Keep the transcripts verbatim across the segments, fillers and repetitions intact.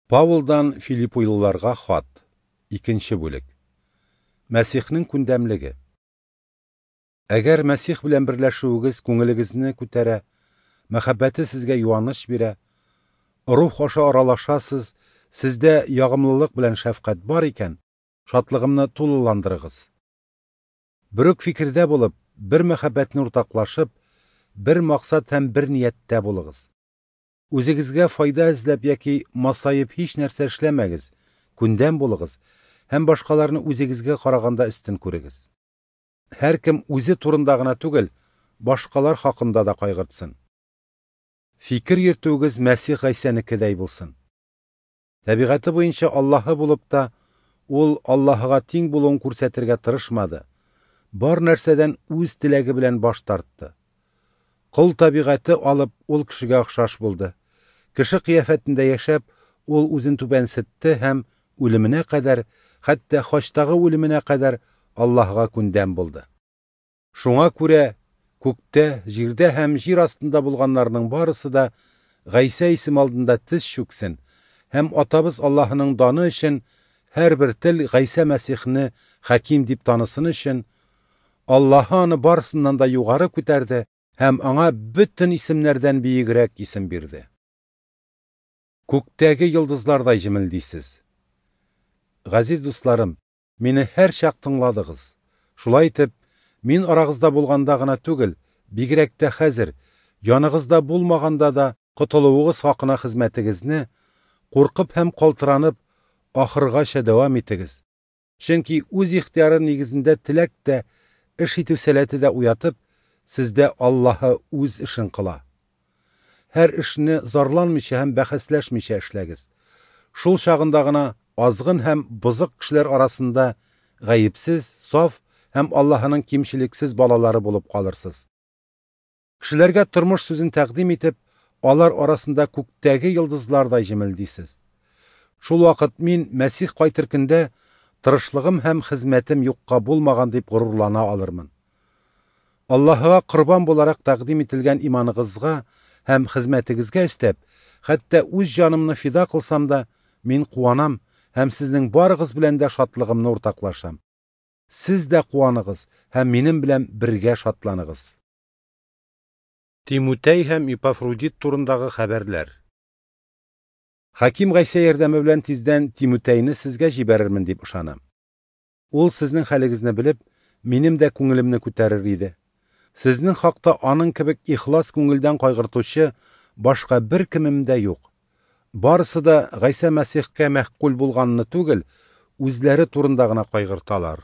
Паулдан Филиппилыларга хат. Икенче бүлек. Мәсихнең күндәмлеге. Әгәр Мәсих белән берләшүегез күңелегезне күтәрә, мәхәббәте сезгә юаныч бирә, рух аша аралашасыз, сездә ягымлылык белән шәфкать бар икән, шатлыгымны тулыландырыгыз. Бер үк фикердә булып, бер мәхәббәтне уртаклашып, бер максат һәм бер нияттә булыгыз. Үзегезгә файда эзләп яки масаеп һич нәрсә эшләмәгез, күндәм булыгыз һәм башкаларны үзегезгә караганда өстен күрегез. Һәркем үзе турында гына түгел, башкалар хакында да кайгыртсын. Фикер йөртүегез Мәсих Гайсәнекедәй булсын. Табигате буенча Аллаһы булып та, ул Аллаһыга тиң булуын күрсәтергә тырышмады. Бар нәрсәдән үз теләге белән баш тартты. Кол табигате алып, ул кешегә охшаш булды. Кеше кыяфәтендә яшәп, ул үзен түбәнсетте һәм үлеменә кадәр, хәтта хачтагы үлеменә кадәр Аллаһыга күндәм булды. Шуңа күрә күктә, җирдә һәм җир астында булганнарның барысы да Гайсә исеме алдында тез чүксен һәм Атабыз Аллаһының даны өчен һәрбер тел Гайсә Мәсихне хаким дип танысын өчен Аллаһы аны барысыннан да югары күтәрде һәм аңа бөтен исемнәрдән биегрәк исем бирде. Күктәге йолдызлардай җемелдисез. Газиз дусларым, мине һәр чак тыңладыгыз. Шулай итеп, мин арагызда булганда гына түгел, бигрәк тә хәзер, яныгызда булмаганда да котылуыгыз хакына хезмәтегезне куркып һәм калтыранып ахыргача дәвам итегез. Чөнки үз ихтыяры нигезендә теләк тә, эш итү сәләте дә уятып, сездә Аллаһы үз эшен кыла. Һәр эшне зарланмыйча һәм бәхәсләшмичә эшләгез. Шул чагында гына азгын һәм бозык кешеләр арасында гаепсез, саф һәм Аллаһының кимчелексез балалары булып калырсыз. Кешеләргә тормыш сүзен тәкъдим итеп, алар арасында күктәге йолдызлардай җемелдисез. Шул вакыт мин Мәсих кайтыр көндә тырышлыгым һәм хезмәтем юкка булмаган дип горурлана алырмын. Аллаһыга корбан буларак тәкъдим ителгән иманыгызга һәм хезмәтегезгә өстәп, хәтта үз җанымны фида кылсам да, мин куанам һәм сезнең барыгыз белән дә шатлыгымны уртаклашам. Сез дә куаныгыз һәм минем белән бергә шатланыгыз. Тимутей һәм Епафродит турындагы хәбәрләр. Хаким Гайсә ярдәме белән тиздән Тимутейны сезгә җибәрермен дип ышанам. Ул сезнең хәлегезне белеп, минем дә күңелемне күтәрер иде. Сезнең хакта аның кебек ихлас күңелдән кайгыртучы башка бер кемем дә юк. Барысы да Гайсә Мәсихкә мәхкүл булганны түгел, үзләре турында гына кайгырталар.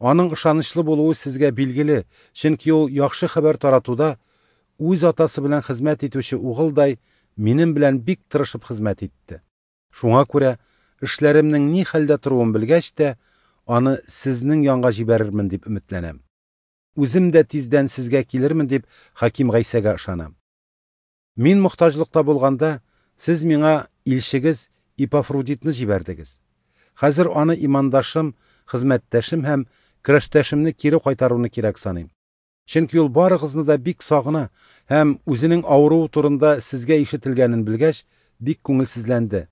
Аның ышанычлы булуы сезгә билгеле, чөнки ул яхшы хәбәр таратуда үз атасы белән хезмәт итүче угылдай минем белән бик тырышып хезмәт итте. Шуңа күрә эшләремнең ни хәлдә торуын белгәч тә, аны сезнең янга җибәрермен дип өметләнәм. Үзем дә тиздән сезгә килермен дип Хаким Гайсәгә ышанам. Мин мохтаҗлыкта булганда, сез миңа илчегез Епафродитны җибәрдегез. Хәзер аны имандашым, хезмәттәшем һәм көрәштәшемне кире кайтаруны кирәк саныйм. Чөнки ул барыгызны да бик сагына һәм үзенең авыруы турында сезгә ишетелгәнен белгәч, бик күңелсезләнде.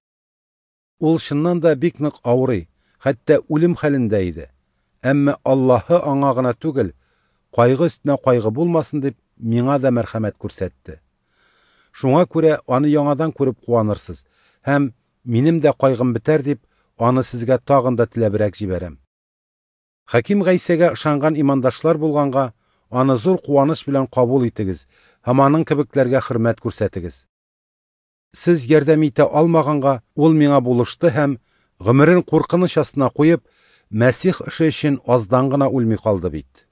Ул чыннан да бик нык авырый, хәтта үлем хәлендә иде. Әмма Аллаһы аңа гына түгел, кайгы өстенә кайгы булмасын дип, миңа да мәрхәмәт күрсәтте. Шуңа күрә аны яңадан күреп куанырсыз һәм минем дә кайгым бетәр дип, аны сезгә тагын да теләбрәк җибәрәм. Хаким Гайсәгә ышанган имандашлар булганга, аны зур куаныч белән кабул итегез һәм аның кебекләргә хөрмәт күрсәтегез. Сез ярдәм итә алмаганга, ул миңа булышты һәм гомерен куркыныч астына куеп, Мәсих эше өчен аздан гына үлми калды бит.